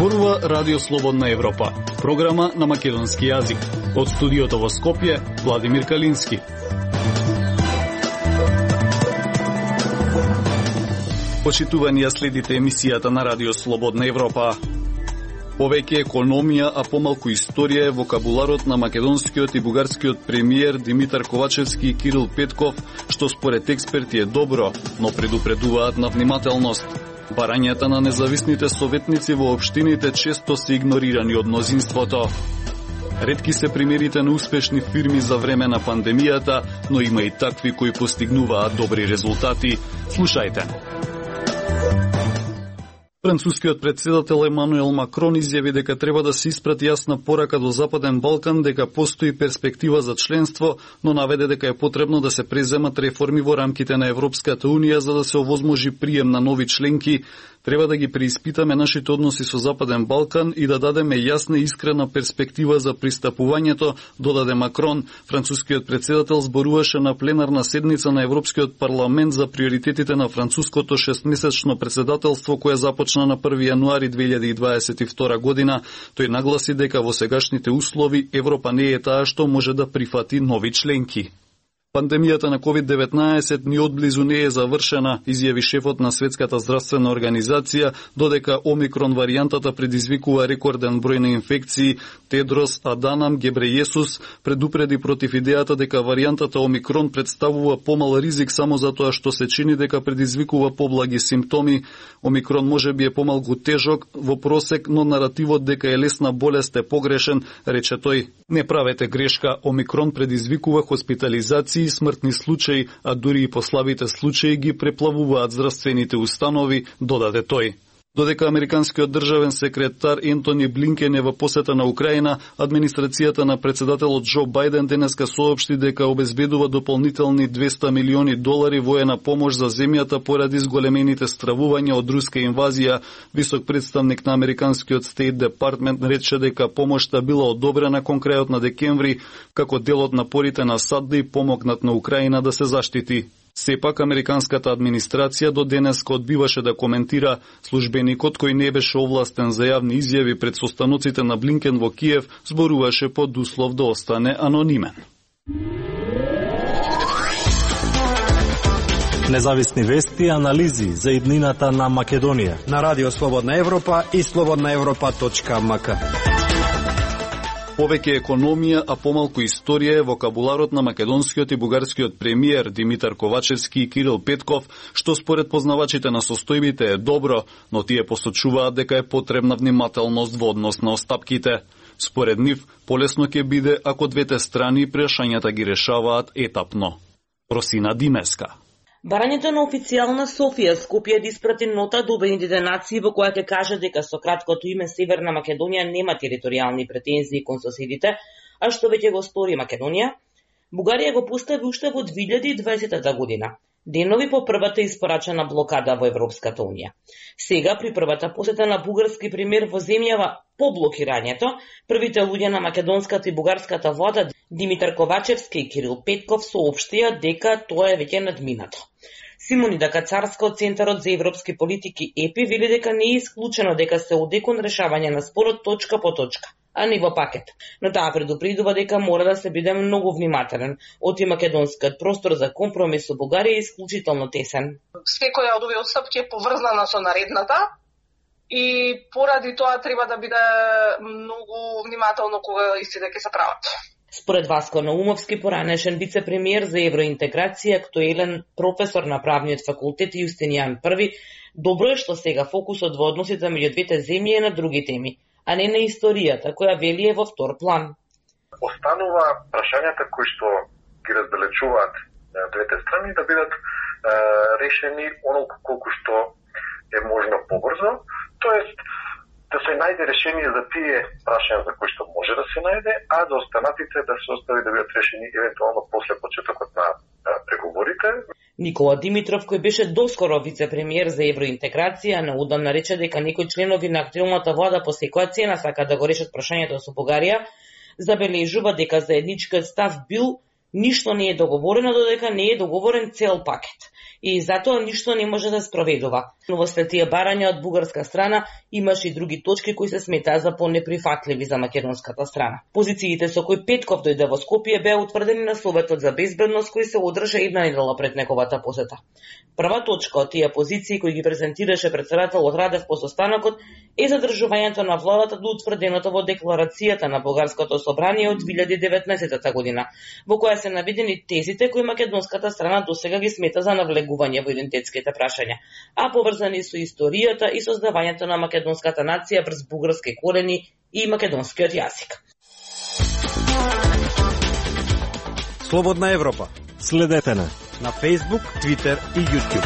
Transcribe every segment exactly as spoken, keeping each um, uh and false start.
Зборува Радио Слободна Европа, програма на македонски јазик. Од студиото во Скопје, Владимир Калински. Почитувани ја следите емисијата на Радио Слободна Европа. Повеќе економија, а помалку историја е вокабуларот на македонскиот и бугарскиот премиер Димитар Ковачевски и Кирил Петков, што според експерти е добро, но предупредуваат на внимателност. Барањата на независните советници во општините често се игнорирани од мнозинството. Ретки се примерите на успешни фирми за време на пандемијата, но има и такви кои постигнуваат добри резултати. Слушајте. Францускиот претседател Емануел Макрон изјави дека треба да се испрати јасна порака до Западен Балкан дека постои перспектива за членство, но наведе дека е потребно да се преземат реформи во рамките на Европската Унија за да се овозможи прием на нови членки. Треба да ги преиспитаме нашите односи со Западен Балкан и да дадеме јасна и искрена перспектива за пристапувањето, додаде Макрон. Францускиот претседател зборуваше на пленарна седница на Европскиот парламент за приоритетите на француското шестмесечно претседателство кое започна на први јануари две илјади и дваесет и втора година. Тој нагласи дека во сегашните услови Европа не е таа што може да прифати нови членки. Пандемијата на ковид деветнаесет ни одблизу не е завршена, изјави шефот на Светската здравствена организација, додека Омикрон варијантата предизвикува рекорден број на инфекции. Тедрос Аданам Гебрејесус предупреди против идејата дека варијантата Омикрон представува помал ризик само затоа што се чини дека предизвикува поблаги симптоми. Омикрон може би е помалку тежок во просек, но наративот дека е лесна болест е погрешен, рече тој. Не правете грешка, Омикрон предизвикува хоспитализации и смртни случаи, а дури и послабите случаи ги преплавуваат здравствените установи, додаде тој. Додека американскиот државен секретар Ентони Блинкен е во посета на Украина, администрацијата на председателот Џо Бајден денеска соопшти дека обезбедува дополнителни двесте милиони долари воена помош за земјата поради зголемените стравувања од руска инвазија. Висок представник на американскиот Стейт Департмент рече дека помошта била одобрена кон крајот на декември, како дел од напорите на САД да и помогнат на Украина да се заштити. Сепак, американската администрација до денеска одбиваше да коментира. Службеникот кој не беше овластен за јавни изјави пред состаноците на Блинкен во Киев зборуваше под услов да остане анонимен. Независни вести и анализи за иднината на Македонија на Радио Слободна Европа и слободна европа точка ем ка. Повеќе економија, а помалку историја е вокабуларот на македонскиот и бугарскиот премиер Димитар Ковачевски и Кирил Петков, што според познавачите на состојбите е добро, но тие посочуваат дека е потребна внимателност во однос на остапките. Според нив, полесно ќе биде ако двете страни прашањата ги решаваат етапно. Росина Димеска. Барањето на официјална Софија Скопје да испрати нота до Обединетите нации во која ќе каже дека со краткото име Северна Македонија нема територијални претензии кон соседите, а што веќе го стори Македонија, Бугарија го постави уште во две илјади и дваесета година, денови по првата испорачена блокада во Европската Унија. Сега, при првата посета на бугарски премиер во земјава по блокирањето, првите луѓе на македонската и бугарската влада Димитар Ковачевски и Кирил Петков соопштија дека тоа е веќе надминато. Симонида Кацарска од Центарот за европски политики ЕПИ вели дека не е исклучено дека се оде кон решавање на спорот точка по точка, а не во пакет. Но таа предупредува дека мора да се биде многу внимателен, оти македонскиот простор за компромис со Бугарија е исклучително тесен. Секоја од овие отстапки е поврзана со наредната и поради тоа треба да биде многу внимателно кога истите ќе се прават. Според Васко Наумовски, поранешен вице-премиер за евроинтеграција, актуелен професор на правниот факултет Јустинијан Први, добро е што сега фокусот во односите меѓу двете земји е на други теми, а не на историјата, која вели е во втор план. Останува прашањата кои што ги разделечуваат двете страни да бидат е, решени оноliko колку што е можно побрзо, тоест да се најде решение за тие прашања за кои што може да се најде, а за останатите да се остави да бидат решени евентуално после почетокот на преговорите. Никола Димитров, кој беше доскоро вице-премиер за евроинтеграција, наудамна рече дека некои членови на актуелната влада по секоја цена сака да го решат прашањето со Бугарија, забележува дека заедничкиот став бил Ништо не е договорено додека не е договорен цел пакет. И затоа ништо не може да спроведува. Но во след тие барања од бугарска страна имаше и други точки кои се сметаа за понеприфатливи за македонската страна. Позициите со кои Петков дојде во Скопје беа утврдени на Советот за безбедност кој се одржа една недела пред неговата посета. Прва точка од тие позиции кои ги презентираше претседателот Радев по состанокот е задржувањето на владата до утврденото во декларацијата на Бугарското собрание од две илјади и деветнаесетта година, во која се наведени тезите кои македонската страна досега ги смета за навлегување во идентитетските прашања, а поврзани со историјата и создавањето на македонската нација врз бугарски корени и македонскиот јазик. Слободна Европа. Следете на на Facebook, Twitter и YouTube.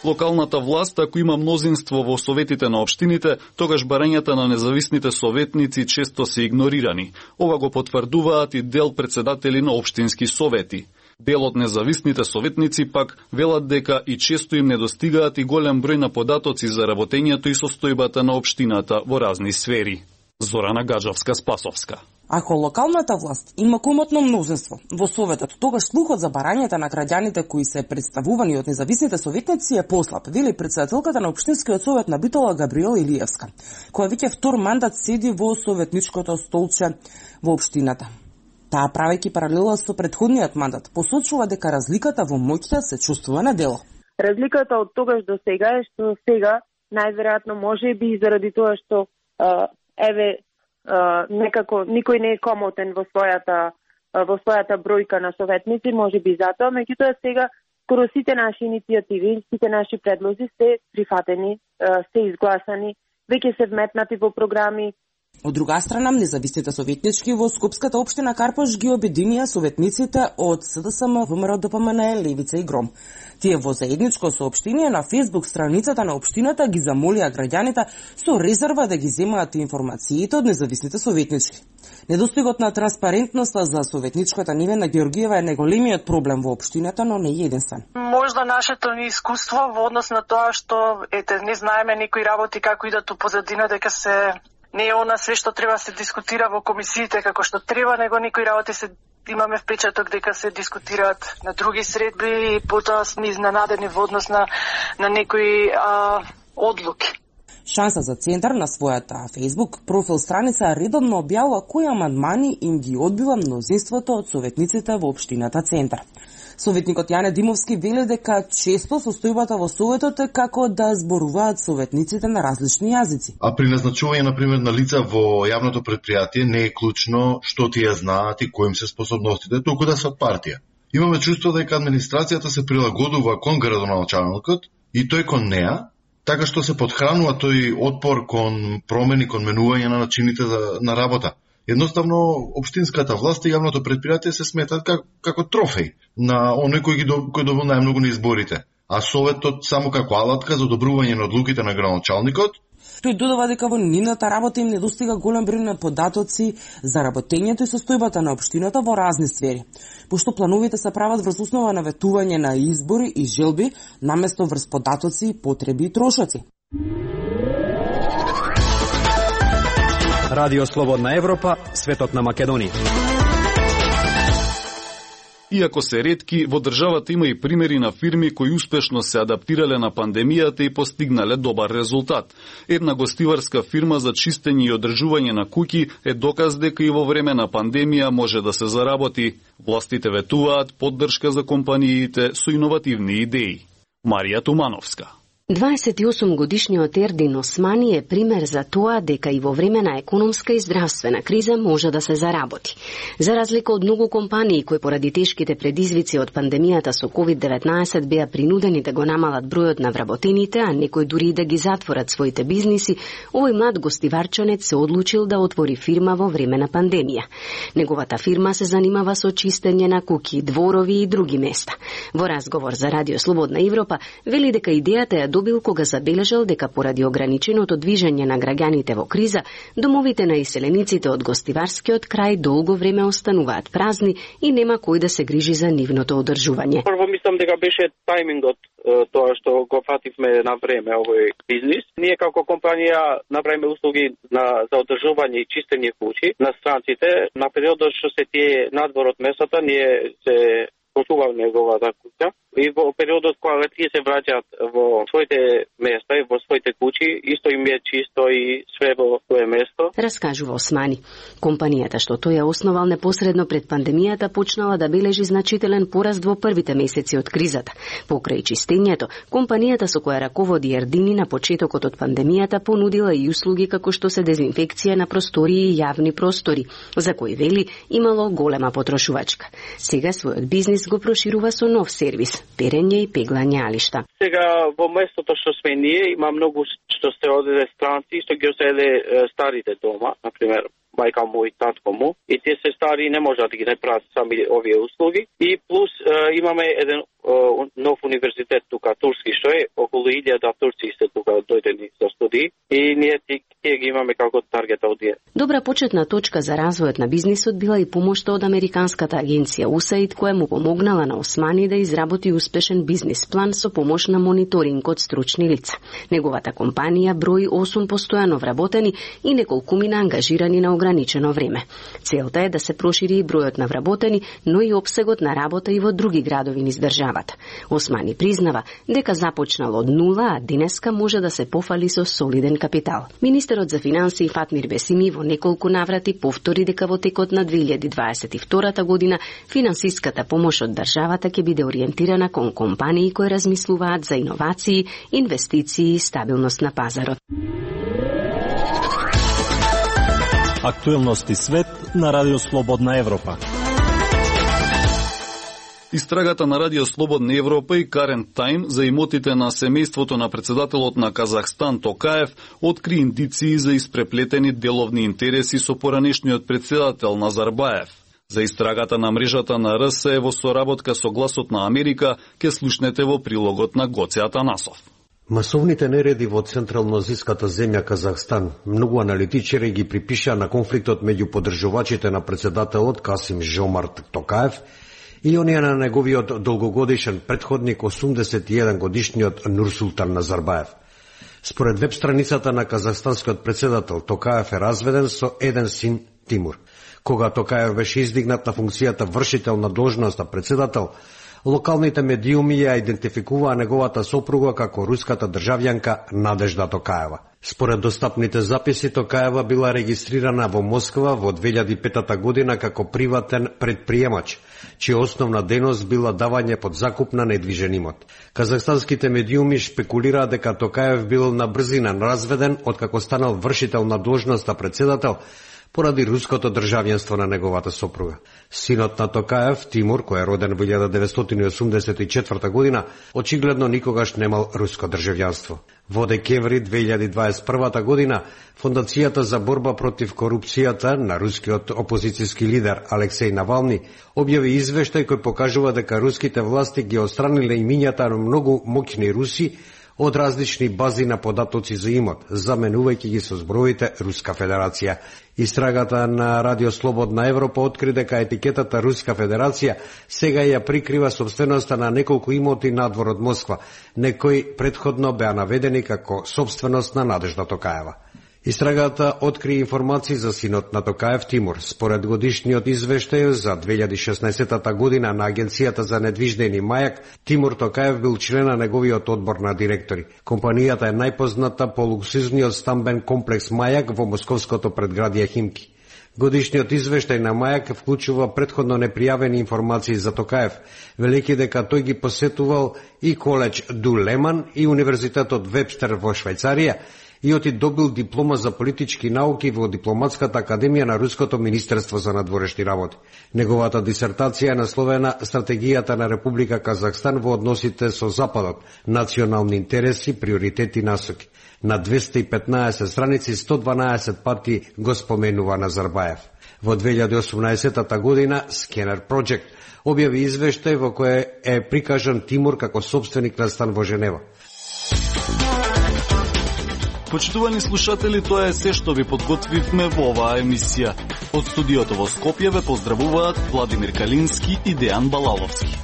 Локалната власт, ако има мнозинство во советите на општините, тогаш барањата на независните советници често се игнорирани. Ова го потврдуваат и дел претседатели на општински совети. Дел од независните советници пак велат дека и често им недостигаат и голем број на податоци за работењето и состојбата на општината во разни сфери. Зорана Гаджовска-Спасовска. Ако локалната власт има комотно мнозинство во Советот, тогаш слухот за барањата на граѓаните кои се представувани од независните советници е послаб, вели претседателката на Општинскиот совет на Битола Габриела Илиевска, која веќе втор мандат седи во советничкото столче во општината. Таа, правејќи паралела со претходниот мандат, посочува дека разликата во моќта се чувствува на дело. Разликата од тогаш до сега е што сега најверојатно може би заради тоа што а, еве Uh, некако никој не е комотен во својата uh, во својата бројка на советници, може би затоа, меѓутоа сега скоро сите наши иницијативи, сите наши предлози се прифатени, uh, се изгласани, веќе се вметнати во програми. Од друга страна, независните советнички во Скопската општина Карпош ги обединија советниците од СДСМ, ВМРО, ДПМН, Левица и Гром. Тие во заедничко соопштение на Facebook страницата на општината ги замолија граѓаните со резерва да ги земаат информациите од независните советнички. Недостигот на транспарентноста за советничката Невена Георгиева е најголемиот проблем во општината, но не е единствен. Можда нашето ни искуство во однос на тоа што ете не знаеме некои работи како идат у позадина, дека се не е она све што треба се дискутира во комисиите како што треба, него некои работи се имаме впечаток дека се дискутираат на други средби и потоа сме изненадени во однос на, на некои а, одлуки. Шанса за центар на својата Facebook профил страница редовно објавува кои амандмани им ги одбива мнозинството од советниците во општината Центар. Советникот Јане Димовски вели дека често состојбата во советот е како да зборуваат советниците на различни јазици. А при назначување на пример на лица во јавното предпријатие не е клучно што тие знаат и кои им се способностите, туку да се од партија. Имаме чувство дека администрацијата се прилагодува кон градоначалникот и тој кон неа, така што се подхранува тој отпор кон промени, кон менување на начините на работа. Едноставно, општинската власт и јавното предпријатие се сметат как, како трофеј на оној кој ги кој добил најмногу на изборите, а советот само како алатка за одобрување на одлуките на градоначалникот. Тој додава дека во нивната работа им недостига голем број на податоци за работењето и состојбата на општината во разни сфери, пошто плановите се прават врз основа на ветување на избори и желби, наместо врз податоци, потреби и трошоци. Радио Слободна Европа, светот на Македонија. Иако се ретки, во државата има и примери на фирми кои успешно се адаптирале на пандемијата и постигнале добар резултат. Една гостиварска фирма за чистење и одржување на куќи е доказ дека и во време на пандемија може да се заработи. Властите ветуваат поддршка за компаниите со иновативни идеи. Марија Тумановска. дваесет и осум годишниот Ердин Османи е пример за тоа дека и во време на економска и здравствена криза може да се заработи. За разлика од многу компании кои поради тешките предизвици од пандемијата со ковид деветнаесет беа принудени да го намалат бројот на вработените, а некои дури и да ги затворат своите бизниси, овој млад гостиварчанец се одлучил да отвори фирма во време на пандемија. Неговата фирма се занимава со чистење на куќи, дворови и други места. Во разговор за Радио Слободна Европа вели дека идејата ја добил кога забележал дека поради ограниченото движење на граѓаните во криза, домовите на иселениците од гостиварскиот крај долго време остануваат празни и нема кој да се грижи за нивното одржување. Прво мислам дека беше тајмингот тоа што го фативме на време овој бизнис. Ние како компанија направиме услуги на, за одржување и чистење куќи на странците. На периодот што се тие надвор од месата, ние се почуваме неговата куќа и во периодот кога тие се враќаат во своите места и во своите куќи, исто им е чисто и све во свое место. Раскажува Османи. Компанијата што тој ја основал непосредно пред пандемијата почнала да бележи значителен пораст во првите месеци од кризата. Покрај чистењето, компанијата со која раководи Ердини на почетокот од пандемијата понудила и услуги како што се дезинфекција на простории и јавни простори, за кои вели имало голема потрошувачка. Сега својот бизнис го проширува со нов сервис – перење и пеглање алишта. Сега во местото што сме ние има многу што се оделе странци, што ги оселе старите дома, например мајка му и татко му, и тие се стари и не можат да ги направат сами овие услуги. И плюс е, имаме еден е, нов универзитет тука, турски, што е околу илјада турци се тука дојдени за студии и ние тие ги имаме како таргет аудиенс. Добра почетна точка за развојот на бизнисот била и помошта од американската агенција ю ес ей ай ди, која му помогнала на Османи да изработи успешен бизнис план со помош на мониторинг од стручни лица. Неговата компанија брои осум постојано вработени и неколкумина ангажирани на ограничено време. Целта е да се прошири и бројот на вработени, но и опсегот на работа и во други градови низ државата. Османи признава дека започнал од нула, а денеска може да се пофали со солиден капитал. Министерот за финансии Фатмир Бесими во неколку наврати повтори дека во текот на две илјади дваесет и втора година финансиската помош од државата ќе биде ориентирана кон компании кои размислуваат за иновации, инвестиции и стабилност на пазарот. Актуелности свет на Радио Слободна Европа. Истрагата на Радио Слободна Европа и Current Time за имотите на семејството на председателот на Казахстан Токаев откри индиции за испреплетени деловни интереси со поранешниот председател Назарбаев. За истрагата на мрежата на ар ес во соработка со Гласот на Америка ќе слушнете во прилогот на Гоце Атанасов. Масовните нереди во централно-азиската земја Казахстан многу аналитичари ги припиша на конфликтот меѓу поддржувачите на председателот Касим Жомарт Токаев и оние на неговиот долгогодишен претходник осумдесет и еден годишниот Нурсултан Назарбаев. Според веб страницата на казахстанскиот председател, Токаев е разведен со еден син Тимур. Кога Токаев беше издигнат на функцијата вршител на должноста председател, локалните медиуми ја идентификуваа неговата сопруга како руската државјанка Надежда Токаева. Според достапните записи, Токаева била регистрирана во Москва во две илјади и пета година како приватен предприемач, чија основна дејност била давање под закуп на недвижен имот. Казахстанските медиуми шпекулираат дека Токаев бил на брзина разведен откако станал вршител на должноста председател поради руското државјанство на неговата сопруга. Синот на Токаев, Тимур, кој е роден во илјада деветстотини и осумдесет и четврта година, очигледно никогаш немал руско државјанство. Во декември две илјади дваесет и прва година, Фондацијата за борба против корупцијата на рускиот опозицијски лидер Алексеј Навални објави извештај кој покажува дека руските власти ги отстраниле имињата на многу моќни руси од различни бази на податоци за имот, заменувајќи ги со зброите Руска Федерација. Истрагата на Радио Слободна Европа откри дека етикетата Руска Федерација сега ја прикрива собственоста на неколку имоти надвор од Москва, некои предходно беа наведени како собственост на Надежда Токаева. Истрагата откри информации за синот на Токаев Тимур. Според годишниот извештај за две илјади и шеснаесета година на Агенцијата за недвижнини Мајак, Тимур Токаев бил член на неговиот одбор на директори. Компанијата е најпозната по луксузниот стамбен комплекс Мајак во московското предградие Химки. Годишниот извештај на Мајак вклучува претходно непријавени информации за Токаев, велики дека тој ги посетувал и коледж Ду Леман и Универзитетот Вебстер во Швајцарија, и оти добил диплома за политички науки во Дипломатската академија на Руското министерство за надворешни работи. Неговата дисертација е насловена Стратегијата на Република Казахстан во односите со Западот, национални интереси, приоритети и насоки. На двесте и петнаесет страници сто дванаесет пати го споменува Назарбаев. Во две илјади и осумнаесета година Scanner Project објави извештај во кој е прикажан Тимур како собственик на стан во Женева. Почитувани слушатели, тоа е се што ви подготвивме во оваа емисија. Од студиото во Скопје ве поздравуваат Владимир Калински и Дејан Балаловски.